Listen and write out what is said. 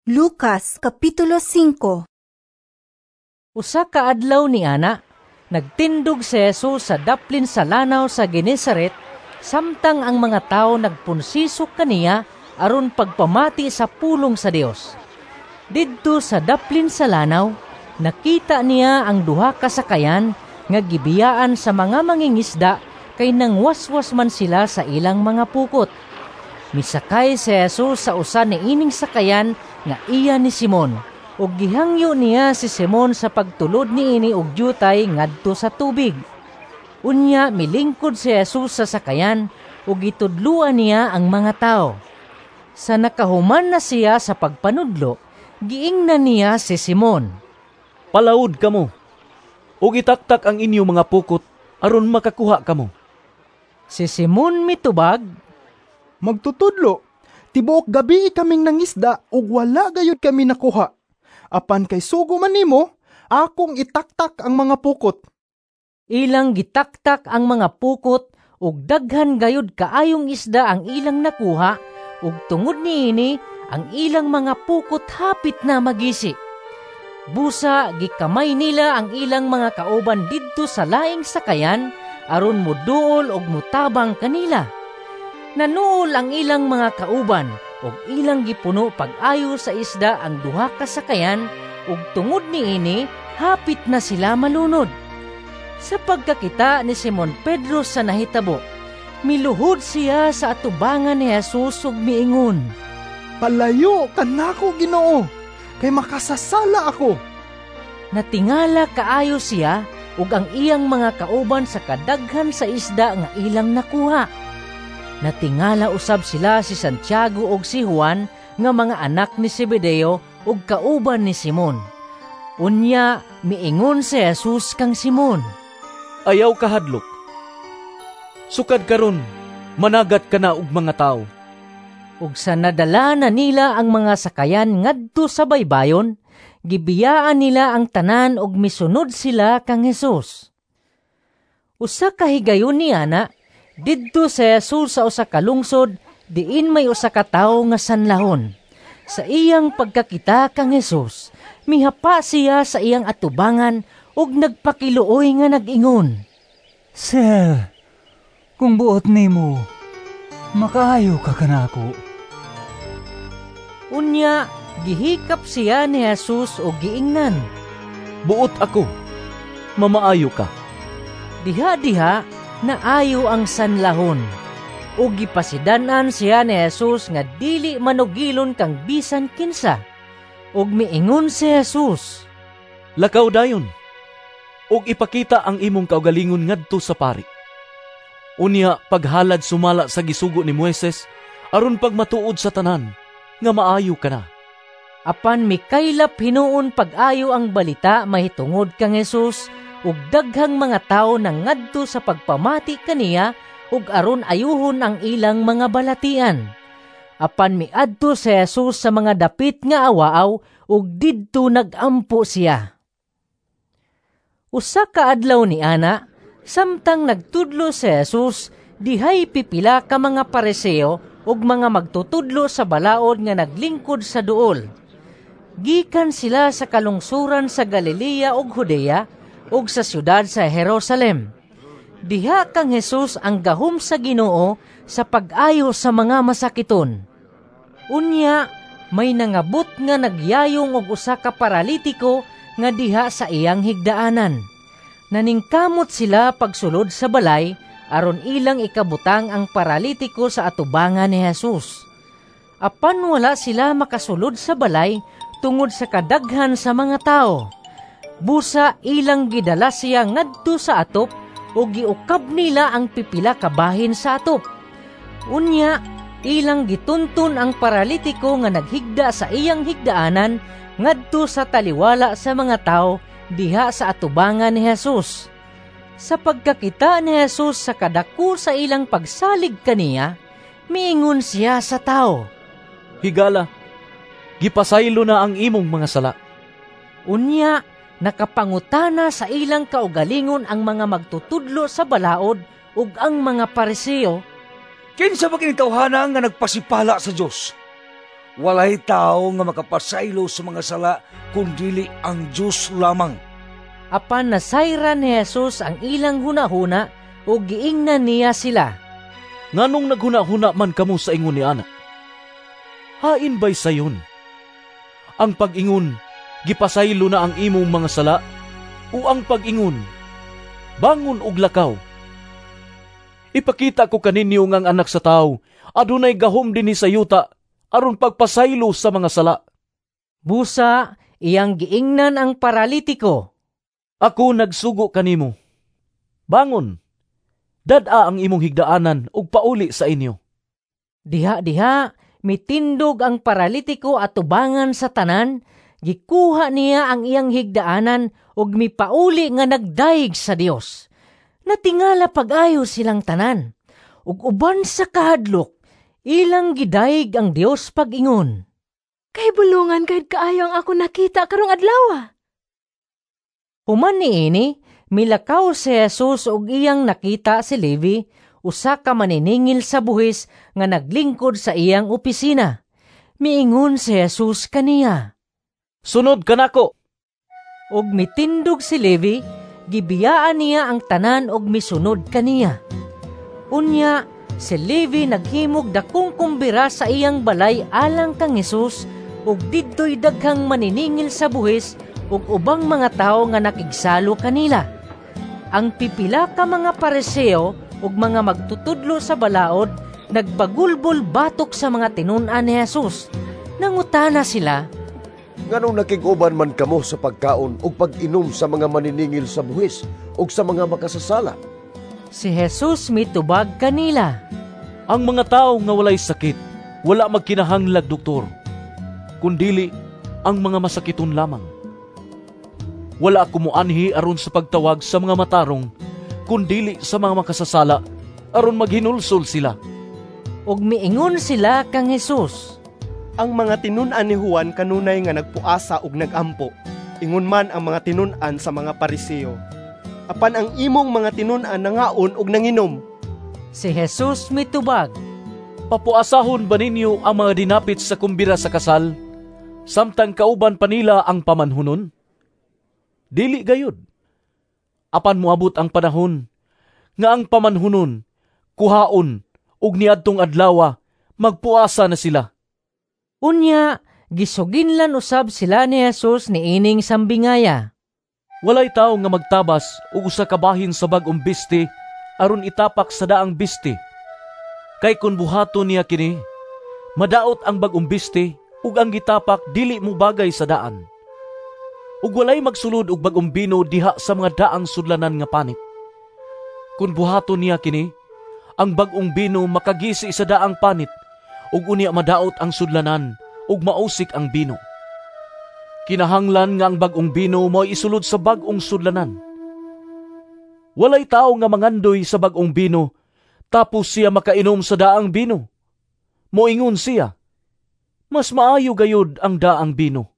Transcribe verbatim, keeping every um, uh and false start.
Lucas Kapitulo singko. Usa ka adlaw ni ana, nagtindog si Jesus sa daplin sa lanaw sa Genesaret samtang ang mga tawo nagpunsisok kaniya aron pagpamati sa pulong sa Dios. Didto sa daplin sa lanaw, nakita niya ang duha ka sakayan nga gibiyaan sa mga mangingisda kay nangwaswas man sila sa ilang mga pukot. Misakay si Jesus sa usa niining sakayan nga iya ni Simon, ug gihangyo niya si Simon sa pagtulod niini og dyutay ngadto sa tubig. Unya milingkod si Jesus sa sakayan ug gitudloan niya ang mga tawo. Sa nakahuman na siya sa pagpanudlo, giingnan niya si Simon, "Palaod kamo, ug itaktak ang inyong mga pukot aron makakuha kamo." Si Simon mitubag, "Magtutudlo, tibuok gabii kaming nangisda ug wala gayud kami nakuha. Apan kay sugo man nimo, akong itaktak ang mga pukot." Ilang gitaktak ang mga pukot ug daghan gayud kaayong isda ang ilang nakuha, ug tungod niini ang ilang mga pukot hapit na magisi. Busa gikamay nila ang ilang mga kauban didto sa laing sakayan aron moduol og motabang kanila. Nanuol ang ilang mga kauban ug ilang gipuno pag-ayo sa isda ang duha ka sakayan, ug tungod niini hapit na sila malunod. Sa pagkakita ni Simon Pedro sa nahitabo, miluhod siya sa atubangan ni Jesus ug miingon, "Palayo kanako, Ginoo, kay makasasala ako." Natingala kaayo siya ug ang iyang mga kauban sa kadaghan sa isda nga ilang nakuha. Natingala usab sila si Santiago ug si Juan nga mga anak ni Zebedeo ug kauban ni Simon. Unya miingon si Jesus kang Simon, "Ayaw kahadlok. Sukad karon managat ka na og mga tawo." Ug sa nadala na nila ang mga sakayan ngadto sa baybayon, gibiyaan nila ang tanan ug misunod sila kang Jesus. Usa ka higayon niana, didto si Jesus sa usa ka lungsod diin may usa ka tawo nga sanlahon. Sa iyang pagkakita kang Jesus, mihapa siya sa iyang atubangan ug nagpakiluoy nga nag-ingon, "Sir, kung buot nimo, makaayo ka kanako." Unya gihikap siya ni Jesus ug giingnan, "Buot ako, mamaayo ka." Diha-diha naayo ang sanlahon. Ug gipasidan-an siya ni Jesus nga dili manugilon kang bisan kinsa. Ug miingon si Jesus, "Lakaw dayon, ug ipakita ang imong kaugalingon ngadto sa pari. Unya paghalad sumala sa gisugo ni Moises aron pagmatuod sa tanan nga maayo ka na." Apan mikaylap hinuon pag-ayo ang balita mahitungod kang Jesus, ug daghang mga tawo nangadto sa pagpamati kaniya ug aron ayuhon ang ilang mga balatian. Apan miadto si Jesus sa mga dapit nga awaaw ug didto nagampo siya. Usa ka adlaw ni ana, samtang nagtudlo si Jesus, dihay pipila ka mga Pariseo ug mga magtutudlo sa balaod nga naglingkod sa duol. Gikan sila sa kalungsuran sa Galilea ug Judea ug sa siyudad sa Jerusalem. Diha kang Jesus ang gahom sa Ginoo sa pag-ayo sa mga masakiton. Unya may nangabot nga nagyayong og usa ka paralitiko nga diha sa iyang higdaanan. Naningkamot sila pagsulod sa balay aron ilang ikabutang ang paralitiko sa atubangan ni Jesus. Apan wala sila makasulod sa balay tungod sa kadaghan sa mga tao. Busa ilang gidala siya ngadto sa atop ug giukab nila ang pipila ka bahin sa atop. Unya ilang gitunton ang paralitiko nga naghigda sa iyang higdaanan ngadto sa taliwala sa mga tao diha sa atubangan ni Jesus. Sa pagkakita ni Jesus sa kadako sa ilang pagsalig kaniya, miingon siya sa tao, "Higala, gipasaylo na ang imong mga sala." Unya nakapangutana sa ilang kaugalingon ang mga magtutudlo sa balaod ug ang mga Pariseo, "Kinsa ba kini tawhana nga nagpasipala sa Dios? Walay tawo nga makapasaylo sa mga sala kun dili ang Dios lamang." Apan nasayran ni Jesus ang ilang hunahuna ug giingnan niya sila. "Nganong naghuna-huna man kamo sa ingon ni ana? Hain bay sayon? Ang pag-ingon, 'Gipasaylo na ang imong mga sala,' o ang pag-ingon, 'Bangon ug lakaw'? Ipakita ko kaninyo nga ang Anak sa Tawo adunay gahom dinhi sa yuta aron pagpasaylo sa mga sala." Busa, iyang giingnan ang paralitiko, "Ako nagsugo kanimo. Bangon, dad-a ang imong higdaanan ug pauli sa inyo." Diha-diha, mitindog ang paralitiko atubangan sa tanan, gikuha niya ang iyang higdaanan ug mipauli nga nagdayeg sa Dios. Natingala pag-ayo silang tanan. Ug uban sa kahadlok, ilang gidayeg ang Dios pag-ingon, "Kay bulongan gayud kaayo ang ako nakita karong adlaw." Human niini, milakaw si Jesus ug iyang nakita si Levi, usa ka maniningil sa buhis nga naglingkod sa iyang opisina. Miingon si Jesus kaniya, "Sunod kanako." Ug mitindog si Levi, gibiyaan niya ang tanan ug misunod kaniya. Unya, si Levi naghimog dakong kumbira sa iyang balay alang kang Jesus ug didtoy daghang maniningil sa buhis ug ubang mga tawo nga nakigsalo kanila. Ang pipila ka mga Pariseo ug mga magtutudlo sa balaod nagbagulbol batok sa mga tinun-an ni Jesus. Nangutana sila, "Nganong nakig-uban man kamo sa pagkaon ug pag-inom sa mga maniningil sa buhis ug sa mga makasasala?" Si Jesus mitubag kanila, "Ang mga tawo nga walay sakit, wala magkinahanglag doktor, kundili ang mga masakiton lamang. Wala ako moanhi aron sa pagtawag sa mga matarong, kundili sa mga makasasala, aron maghinulsol sila." Ug miingon sila kang Jesus, "Ang mga tinun-an ni Juan kanunay nga nagpuasa ug nagampo, ingon man ang mga tinun-an sa mga Pariseo. Apan ang imong mga tinun-an nangaon ug nanginom." Si Jesus mitubag, "Papuasahon ba ninyo ang mga dinapit sa kumbira sa kasal, samtang kauban pa nila ang pamanhunon? Dili gayud. Apan moabot ang panahon nga ang pamanhunon kuhaon ug niadtong adlawa magpuasa na sila." Unya, gisuginlan usab sila ni Jesus niining sambingaya. "Walay tawo nga magtabas og usa ka bahin sa bag-ong biste aron itapak sa daang biste. Kay kun buhaton niya kini, madaot ang bag-ong biste ug ang gitapak dili mo bagay sa daan. Ug walay magsulod og bag-ong bino diha sa mga daang sudlanan nga panit. Kun buhaton niya kini, ang bag-ong bino makagisi sa daang panit ug unya madaot ang sudlanan ug mausik ang bino. Kinahanglan nga ang bag-ong bino mo'y isulod sa bag-ong sudlanan. Walay tawo nga mangandoy sa bag-ong bino tapos siya makainom sa daang bino. Moingon siya, 'Mas maayo gayud ang daang bino.'"